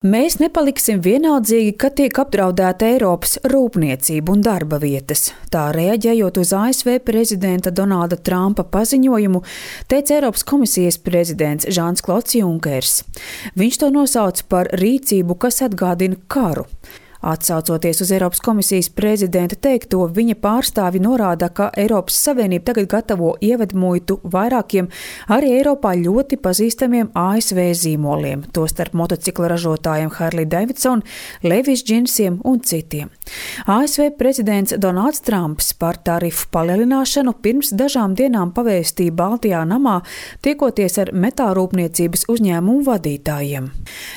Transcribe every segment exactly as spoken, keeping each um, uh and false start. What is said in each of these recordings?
Mēs nepaliksim vienaldzīgi, kad tiek apdraudēta Eiropas rūpniecība un darba vietas. Tā reaģējot uz A S V prezidenta Donalda Trumpa paziņojumu, teica Eiropas komisijas prezidents Žans Klods Junkers. Viņš to nosauca par rīcību, kas atgādina karu. Atsaucoties uz Eiropas komisijas prezidenta teikto, viņa pārstāvi norāda, ka Eiropas Savienība tagad gatavo ievedmuitu vairākiem arī Eiropā ļoti pazīstamiem A S V zīmoliem, tostarp motocikla ražotājiem Harley Davidson, Levi's džinsiem un citiem. A S V prezidents Donalds Trumps par tarifu palielināšanu pirms dažām dienām pavēstīja Baltijā namā, tiekoties ar metālrūpniecības uzņēmumu vadītājiem.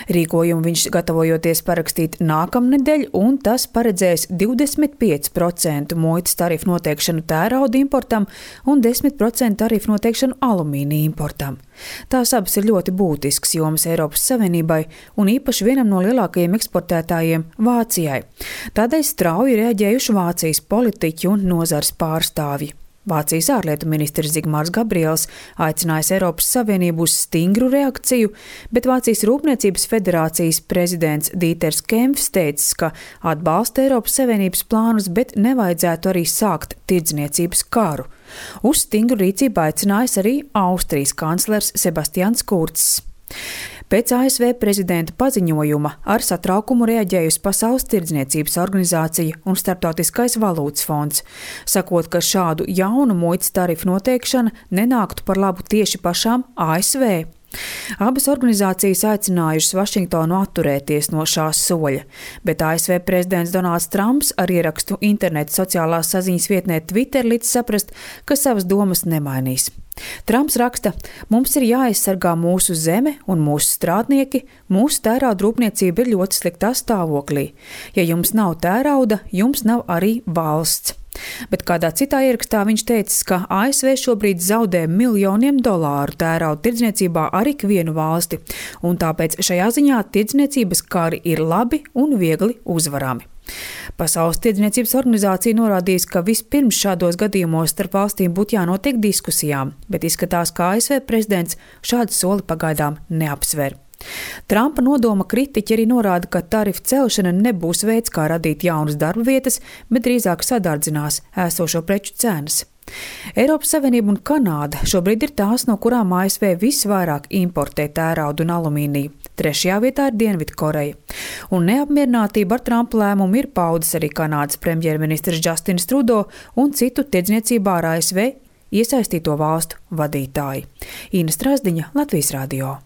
Rīkojumu viņš gatavojoties parakstīt nākamnedēļ, un tas paredzēs divdesmit pieci procenti muitas tarifu noteikšanu tērauda importam un desmit procenti tarifu noteikšanu alumīnija importam. Tās abas ir ļoti būtisks jomas Eiropas Savienībai un īpaši vienam no lielākajiem eksportētājiem Vācijai. Tādēļ strauji reaģējuši Vācijas politiķi un nozars pārstāvji. Vācijas ārlietu ministrs Zigmārs Gabriels aicinājis Eiropas Savienību uz stingru reakciju, bet Vācijas Rūpniecības federācijas prezidents Dīters Kempfs teicis, ka atbalsta Eiropas Savienības plānus, bet nevajadzētu arī sākt tirdzniecības karu. Uz stingru rīcību aicinājis arī Austrijas kanclers Sebastians Kurcs. Pēc A S V prezidenta paziņojuma ar satraukumu reaģējusi Pasaules tirdzniecības organizācija un Starptautiskais valūtas fonds, sakot, ka šādu jaunu muitas tarifu noteikšana nenāktu par labu tieši pašām A S V. Abas organizācijas aicinājušas Vašingtonu atturēties no šā soļa, bet A S V prezidents Donalds Trumps ar ierakstu interneta sociālās saziņas vietnē Twitter līdz saprast, ka savas domas nemainīs. Trumps raksta: "Mums ir jāaizsargā mūsu zeme un mūsu strādnieki, mūsu tērauda rūpniecība ir ļoti sliktā stāvoklī. Ja jums nav tērauda, jums nav arī valsts." Bet kādā citā ierakstā viņš teicis, ka A S V šobrīd zaudē miljoniem dolāru tērauda tirdzniecībā ar ikvienu valsti, un tāpēc šajā ziņā tirdzniecības kari ir labi un viegli uzvarami. Pasaules tirdzniecības organizācija norādījis, ka vispirms šādos gadījumos starp valstīm būtu jānotiek diskusijām, bet izskatās, ka A S V prezidents šādu soli pagaidām neapsver. Trumpa nodoma kritiķi arī norāda, ka tarifu celšana nebūs veids, kā radīt jaunas darba vietas, bet drīzāk sadardzinās esošo preču cenas. Eiropas Savienība un Kanāda šobrīd ir tās, no kurām A S V visvairāk importē tēraudu un alumīniju. Trešajā vietā ir Dienvidkoreja. Un neapmierinātība ar Trumpa lēmumu ir paudis arī Kanādas premjerministrs Justins Trudeau un citu tirdzniecībā ar A S V iesaistīto valstu vadītāji. Ina Strazdiņa, Latvijas radio.